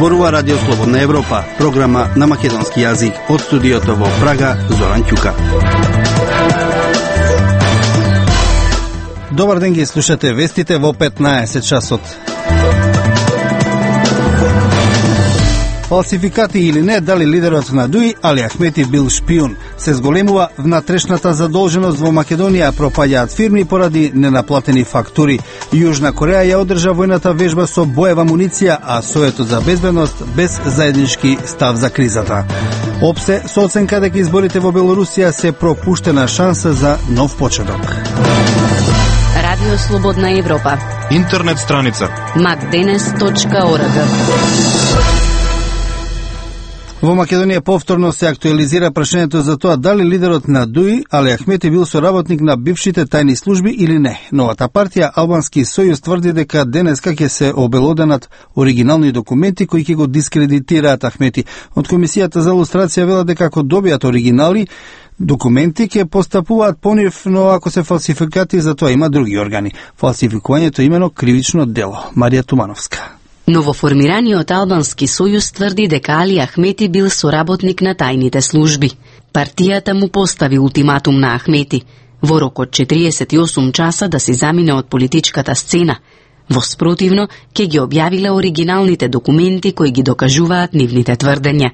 Зборува Радио Слободна Европа, програма на македонски јазик. Од студиото во Прага, Зоран Ќука. Добар ден, ги слушате вестите во 15 часот. Фалсификати или не, дали лидерот на ДУИ Али Ахмети бил шпион? Се зголемува внатрешната задолженост во Македонија, пропаѓаат фирми поради ненаплатени фактури. Јужна Кореја ја одржа војната вежба со боева муниција, а Советот за безбедност без заеднички став за кризата. Опсе со оценка дека изборите во Белорусија се пропуштена шанса за нов почеток. Радио Слободна Европа. Интернет страница macdenes.org. Во Македонија повторно се актуализира прашањето за тоа дали лидерот на ДУИ Али Ахмети бил соработник на бившите тајни служби или не. Новата партија Албански сојуз тврди дека денеска ќе се обелоденат оригинални документи кои ќе го дискредитираат Ахмети. Од Комисијата за лустрација велат дека ако добијат оригинали документи ќе постапуваат по нив, но ако се фалсификати, за тоа има други органи. Фалсификувањето е имено кривично дело. Марија Тумановска. Новоформираниот Албански сојуз тврди дека Али Ахмети бил соработник на тајните служби. Партијата му постави ултиматум на Ахмети во рок од 48 часа да се замине од политичката сцена. Во спротивно, ќе ги објавиле оригиналните документи кои ги докажуваат нивните тврдења.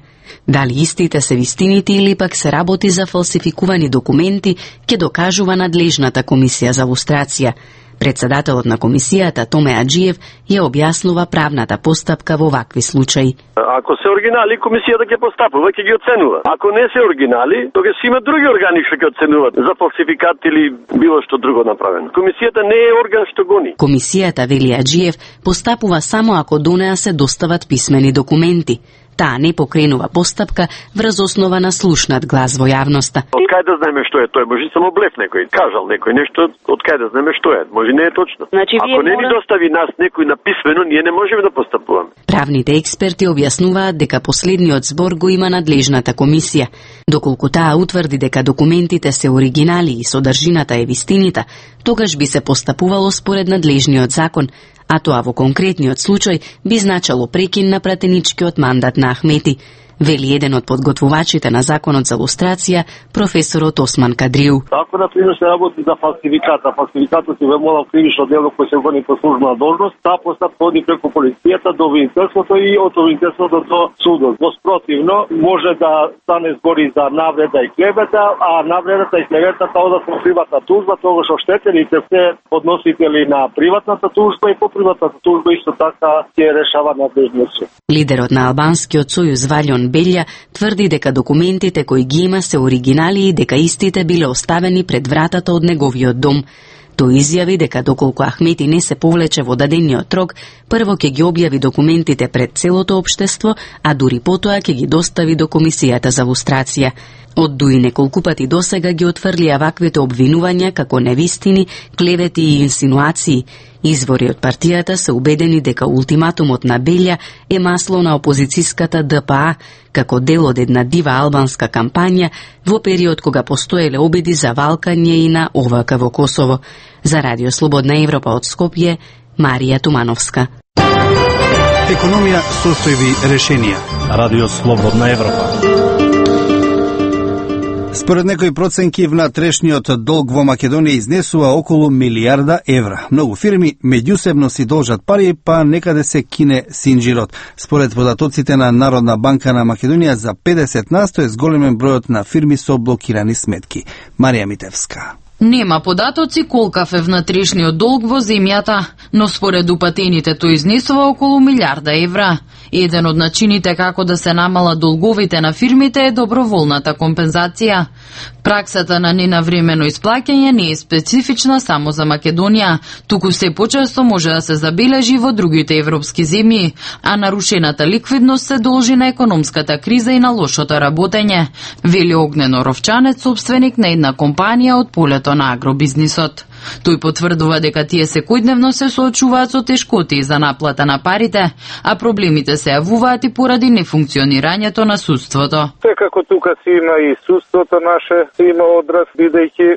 Дали истите се вистините или пак се работи за фалсификувани документи, ќе докажува надлежната комисија за лустрација. Председателот на комисијата Томе Аџиев ја објаснува правната постапка во вакви случаи. Ако се оригинали, комисијата ќе постапува, ќе ги оценува. Ако не се оригинали, тогаш има други органи што ќе оценуваат за фалсификат или било што друго направено. Комисијата не е орган што гони. Комисијата, вели Аџиев, постапува само ако до неа се достават писмени документи. Таа не покренува постапка врз основа на слушнат глас во јавноста. Од кај да знаеме што е тој? Може само блеф некој, кажал некој нешто, од кај да знаеме што е? Може не е точно. Значи, ако не ни достави нас некој написмено, ние не можеме да постапуваме. Правните експерти објаснуваат дека последниот збор го има надлежната комисија. Доколку таа утврди дека документите се оригинали и содржината е вистинита, тогаш би се постапувало според надлежниот закон, а тоа во конкретниот случај би значало прекин на пратеничкиот мандат на Ахмети, вели еден од подготвувачите на законот за лустрација, професорот Осман Кадриу. Ако например се работи за фалсификатот се вемола кривично дело кој се гони по службена должност, таа постапка оди преку полицијата до обвинителството и од обвинителството до судот. Во спротивно може да стане збори за навреда и клевета, а навредата и клеветата одат во приватна тужба, тогаш оштетените се односители на приватната тужба и по приватната тужба исто така ќе решава надлежниот суд. Лидерот на Албанскиот сојуз Валјон Белја тврди дека документите кои ги има се оригинали и дека истите биле оставени пред вратата од неговиот дом. Тој изјави дека доколку Ахмети не се повлече во дадениот рок, прво ќе ги објави документите пред целото општество, а дури потоа ќе ги достави до Комисијата за лустрација. Од ДУИ неколку пати досега ги отфрлија ваквите обвинувања како невистини, клевети и инсинуации. Извори од партијата се убедени дека ултиматумот на Белја е масло на опозицијската ДПА, како дел од една дива албанска кампања во период кога постоеле обиди за валкање и на ОВК во Косово. За Радио Слободна Европа од Скопје, Марија Тумановска. Економија, состојби, решенија. Радио Слободна Европа. Според некои проценки, внатрешниот долг во Македонија изнесува околу милијарда евра. Многу фирми меѓусебно си должат пари, па некаде се кине синџирот. Според податоците на Народна банка на Македонија, за 50% е зголемен бројот на фирми со блокирани сметки. Марија Митевска. Нема податоци колкав е внатрешниот долг во земјата, но според упатените тој изнесува околу милијарда евра. Еден од начините како да се намалат долговите на фирмите е доброволната компензација. Праксата на ненавремено исплаќање не е специфична само за Македонија, туку се почесто може да се забележи во другите европски земји, а нарушената ликвидност се должи на економската криза и на лошото работење, вели Огнено Ровчанец, собственик на една компанија од полето развитието на агробизнисот. Тој потврдува дека тие секојдневно се соочуваат со тешкоти за наплата на парите, а проблемите се јавуваат и поради нефункционирањето на судството. Секако тука си има и судството наше, си има одраз, бидејќи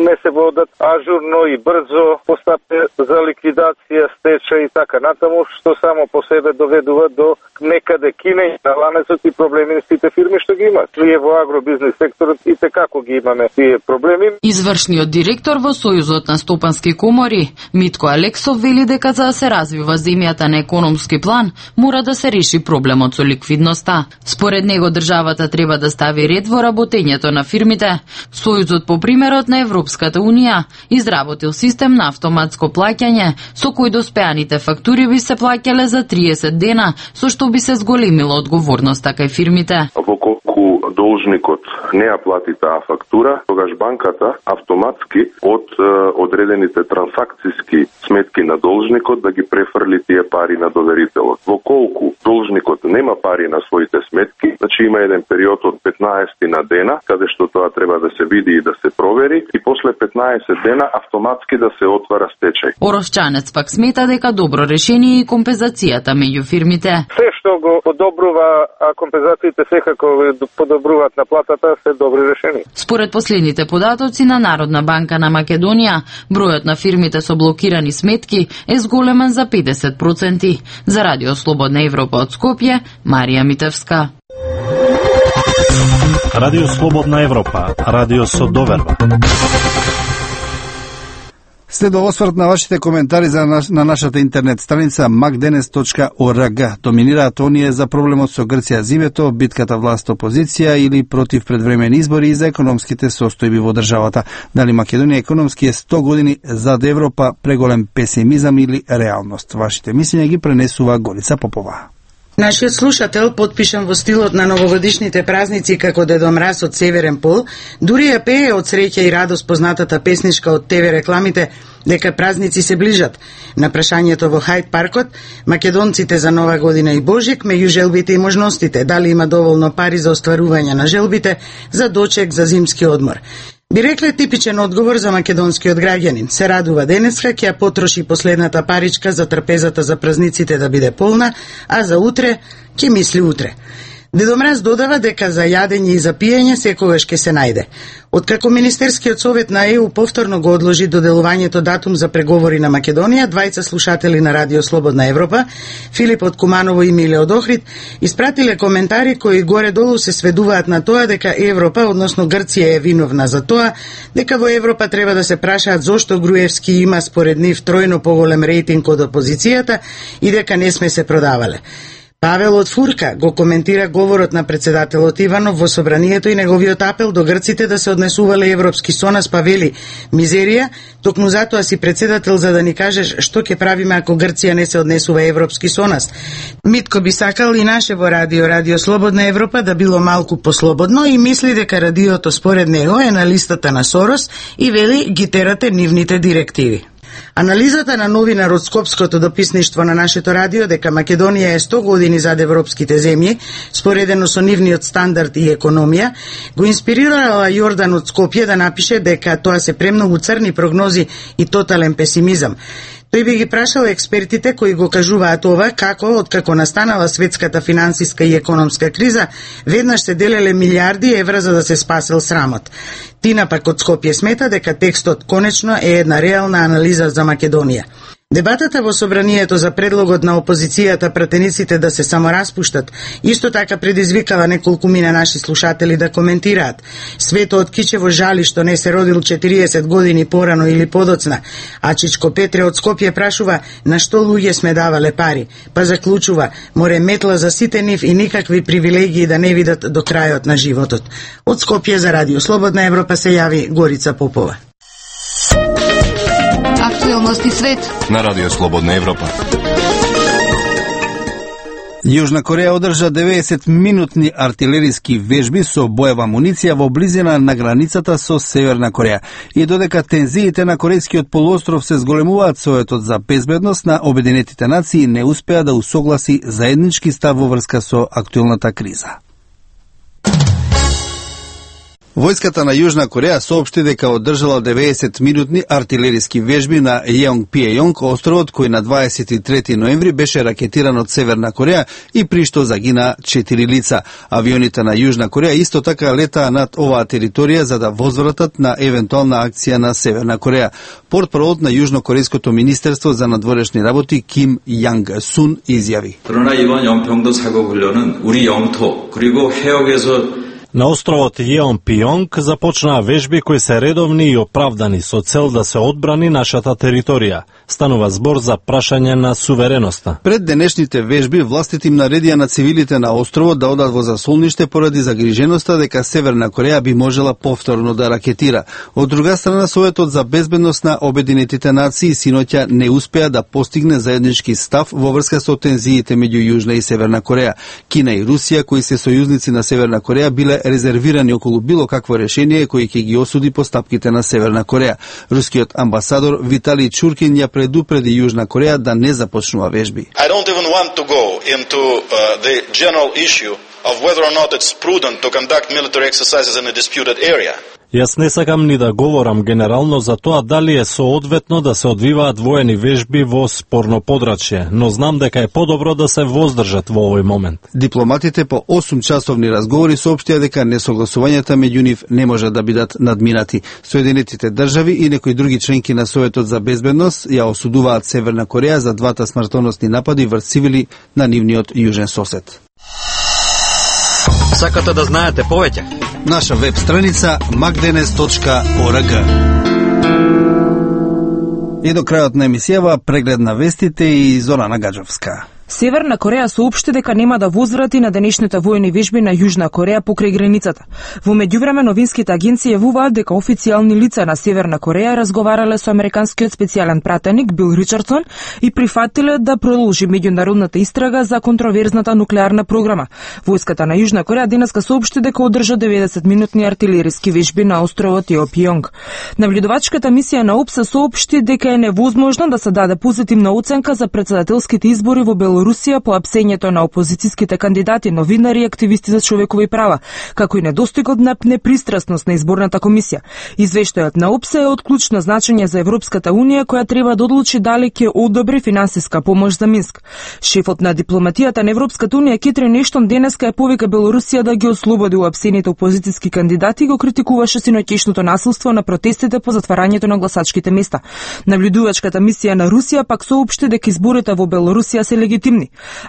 не се водат ажурно и брзо постапки за ликвидација, стечај и така натаму, што само по себе доведува до некаде кинење на ланецот и проблеми на сите фирми што ги имат. Ние во агробизнес секторот и како ги имаме тие проблеми. Извршниот директор во Сојузот на стопански комори, Митко Алексов, вели дека за да се развива земјата на економски план, мора да се реши проблемот со ликвидноста. Според него државата треба да стави ред во работењето на фирмите. Сојузот по примерот на Европската Унија изработил систем на автоматско плаќање, со кој доспеаните фактури би се плаќале за 30 дена, со што би се зголемила одговорноста кај фирмите. Колку должникот не ја плати таа фактура, тогаш банката автоматски од одредените трансакциски сметки на должникот да ги префрли тие пари на доверителот. Во колку должникот нема пари на своите сметки, значи има еден период од 15 на дена, каде што тоа треба да се види и да се провери, и после 15 дена автоматски да се отвара стечај. Оросчанец пак смета дека добро решение и компензацијата меѓу фирмите. Се што го подобрува, а компензациите секако подобруваат на платата, се добри решени. Според последните податоци на Народна банка на Македонија, бројот на фирмите со блокирани сметки е зголемен за 50%. За Радио Слободна Европа од Скопје, Марија Митевска. Радио Слободна Европа, радио со доверба. Следва осврт на вашите коментари на нашата интернет страница macdenes.org. Доминираат оние за проблемот со Грција зимето, битката власт-опозиција или против предвремени избори и за економските состојби во државата. Дали Македонија економски е 100 години зад Европа, преголем песимизам или реалност? Вашите мислења ги пренесува Горица Попова. Нашиот слушател, потпишан во стилот на новогодишните празници како Дедо Мраз од Северен пол, дури ја пее од среќа и радост познатата песничка од ТВ рекламите дека празници се ближат. На прашањето во Хајд паркот, македонците за Нова година и Божик, меѓу желбите и можностите, дали има доволно пари за остварување на желбите, за дочек, за зимски одмор. Би рекле типичен одговор за македонскиот граѓанин. Се радува денеска, ќе ја потроши последната паричка за трпезата за празниците да биде полна, а за утре ќе мисли утре. Дедо Мраз додава дека за јадење и за пиење секогаш ќе се најде. Откако Министерскиот совет на ЕУ повторно го одложи доделувањето датум за преговори на Македонија, двајца слушатели на Радио Слободна Европа, Филип од Куманово и Миле од Охрид, испратиле коментари кои горе-долу се сведуваат на тоа дека Европа, односно Грција, е виновна за тоа, дека во Европа треба да се прашаат зошто Груевски има според нив тројно поголем рейтинг од опозицијата и дека не сме се продавале. Павел од Фурка го коментира говорот на председателот Иванов во собранието и неговиот апел до грците да се однесувале европски со нас, па вели: мизерија, токму затоа си председател за да ни кажеш што ќе правиме ако Грција не се однесува европски со нас. Митко би сакал и наше во Радио Слободна Европа да било малку послободно и мисли дека радиото според него е на листата на Сорос и вели ги терате нивните директиви. Анализата на новинар од Скопското дописништво на нашето радио дека Македонија е 100 години зад европските земји, споредено со нивниот стандард и економија, го инспирирала Јордан од Скопје да напише дека тоа се премногу црни прогнози и тотален песимизам. Тој би ги прашал експертите кои го кажуваат ова, како, откако настанала светската финансиска и економска криза, веднаш се делеле милиарди евра за да се спасел срамот. Тина пак од Скопје смета дека текстот конечно е една реална анализа за Македонија. Дебатата во собранието за предлогот на опозицијата пратениците да се самораспуштат исто така предизвикала неколку мина наши слушатели да коментираат. Свето од Кичево жали што не се родил 40 години порано или подоцна, а Чичко Петре од Скопје прашува на што луѓе сме давале пари, па заклучува: море метла за сите нив и никакви привилегии да не видат до крајот на животот. Од Скопје за Радио Слободна Европа се јави Горица Попова. Актуелности свет на Радио Слободна Европа. Јужна Кореја одржа 90-минутни артилериски вежби со боева амуниција во близина на границата со Северна Кореја. И додека тензиите на Корејскиот полуостров се зголемуваат, Советот за безбедност на Обединетите нации не успеа да усогласи заеднички став во врска со актуелната криза. Војската на Јужна Кореја соопшти дека одржала 90-минутни артилериски вежби на Јонг-Пјејонг, островот кој на 23 ноември беше ракетиран од Северна Кореја и при што загина 4 лица. Авионите на Јужна Кореја исто така летаа над оваа територија за да возвратат на евентуална акција на Северна Кореја. Портпаролот на Јужнокорејското министерство за надворешни работи Ким Јанг Сун изјави: 그러나 이번 영평도 사고 훈련은 우리 영토 그리고 해역에서 На островот Јеонпјонг започнаа вежби кои се редовни и оправдани со цел да се одбрани нашата територија. Станува збор за прашање на сувереноста. Пред денешните вежби властите им наредија на цивилите на островот да одат во засолниште поради загриженоста дека Северна Кореја би можела повторно да ракетира. Од друга страна, Советот за безбедност на Обединетите нации синоќа не успеа да постигне заеднички став во врска со тензиите меѓу Јужна и Северна Кореја. Кина и Русија, кои се сојузници на Северна Кореја, биле резервирани околу било какво решение кој ќе ги осуди постапките на Северна Кореја. Рускиот амбасадор Виталий Чуркин ја предупреди Јужна Кореја да не започнува вежби. I don't even want to go into the general issue of whether or not it's prudent to conduct military exercises in a disputed area. Јас не сакам ни да говорам генерално за тоа дали е соодветно да се одвиваат воени вежби во спорно подрачје, но знам дека е подобро да се воздржат во овој момент. Дипломатите по 8-часовни разговори соопштија дека несогласувањата меѓу нив не може да бидат надминати. Соединетите држави и некои други членки на Советот за безбедност ја осудуваат Северна Кореја за двата смртоносни напади врз цивили на нивниот јужен сосед. Сакате да знаете повеќе? Наша веб страница magdenes.org. И до крајот на емисијава преглед на вестите и Зорана Гаджовска. Северна Кореја соопшти дека нема да возврати на денешните војни вежби на Јужна Кореја покрај границата. Во меѓувреме новинските агенции јавуваат дека официјални лица на Северна Кореја разговарале со американскиот специјален пратеник Бил Ричардсон и прифатиле да продолжи меѓународната истрага за контроверзната нуклеарна програма. Војската на Јужна Кореја денеска соопшти дека одржа 90-минутни артилериски вежби на островот Јеонпјонг. Наблюдувачката мисија на ОПС соопшти дека е невозможно да се даде позитивна оценка за претседателските избори во Белорусија по апсењето на опозицијските кандидати, новинари и активисти за човекови права, како и недостигот на непристрасност на изборната комисија. Извештајот на ОПС е од клучно значење за Европската унија, која треба да одлучи дали ќе одобри финансиска помош за Минск. Шефот на дипломатијата на Европската унија Кетрин Ештон денеска ја повика Белорусија да ги ослободи уапсените опозицијски кандидати и го критикуваше синоќешното насилство на протестите по затварањето на гласачките места. Наблюдувачката мисија на Русија пак соопшти дека изборите во Белорусија се легитимни.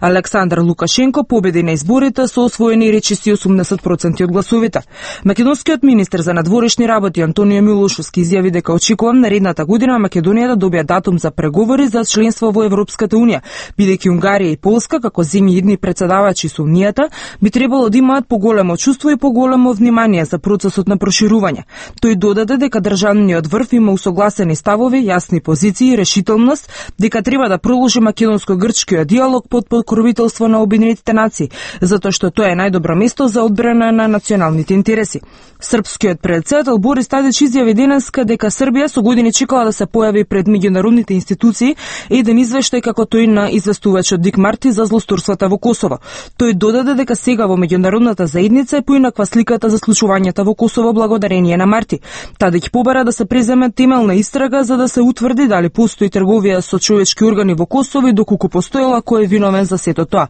Александар Лукашенко победи на изборите со освоени речиси 80% од гласовите. Македонскиот министер за надворешни работи Антонио Милошовски изјави дека очекувам наредната година Македонија да добие датум за преговори за членство во Европската унија, бидејќи Унгарија и Полска, како земји идни претседавачи со унијата, би требало да имаат поголемо чувство и поголемо внимание за процесот на проширување. Тој додаде дека државниот врв има усогласени ставови, јасни позиции и решителност дека треба да продолжи македонско-грчкиот диалог под покровителство на Обединетите нации, затоа што тоа е најдобро место за одбрана на националните интереси. Српскиот претседател Борис Тадич изјави денеска дека Србија со години чекала да се појави пред меѓународните институции еден извештај како тој на известувачот Дик Марти за злосторствата во Косово. Тој додаде дека сега во меѓународната заедница е поинаква сликата за случувањата во Косово благодарение на Марти. Тадич побара да се преземе темелна истрага за да се утврди дали постои трговија со човечки органи во Косово и доколку постоела кој е виновен за сето тоа.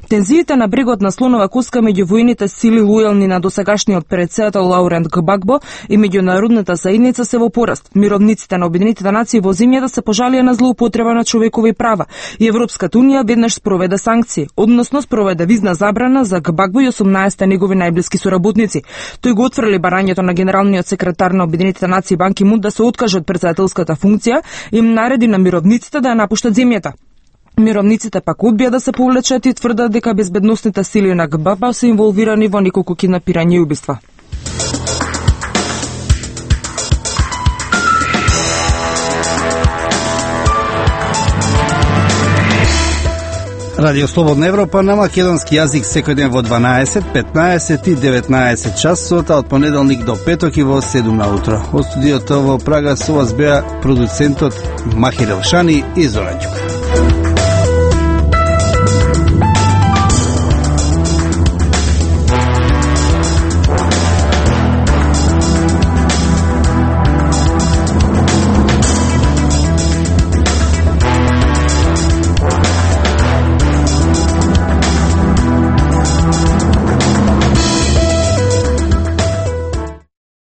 Тензиите на брегот на Слонова коска меѓу војните сили лојални на досегашниот претседател Лаурент Гбагбо и меѓународната заедница се во пораст. Мировниците на Обединетите нации во земјата се пожалија на злоупотреба на човекови права и Европската унија веднаш спроведе санкции, односно спроведе визна забрана за Гбагбо и 18 негови најблиски соработници. Тој го отфрли барањето на генералниот секретар на Обединетите нации Бан Ки Мун да се откаже од претседателската функција и им нареди на мировниците да ја напуштат земјата. Мировниците пак одбија да се повлечат и тврдат дека безбедносните сили на Гбагбо се инволвирани во неколку киднапирања и убиства. Радио Слободна Европа на македонски јазик секој ден во 12, 15 и 19 часот, од понеделник до петок и во 7 наутро. Од студиото во Прага со вас беа продуцентот Махир Елшани и Зоран Ѓука.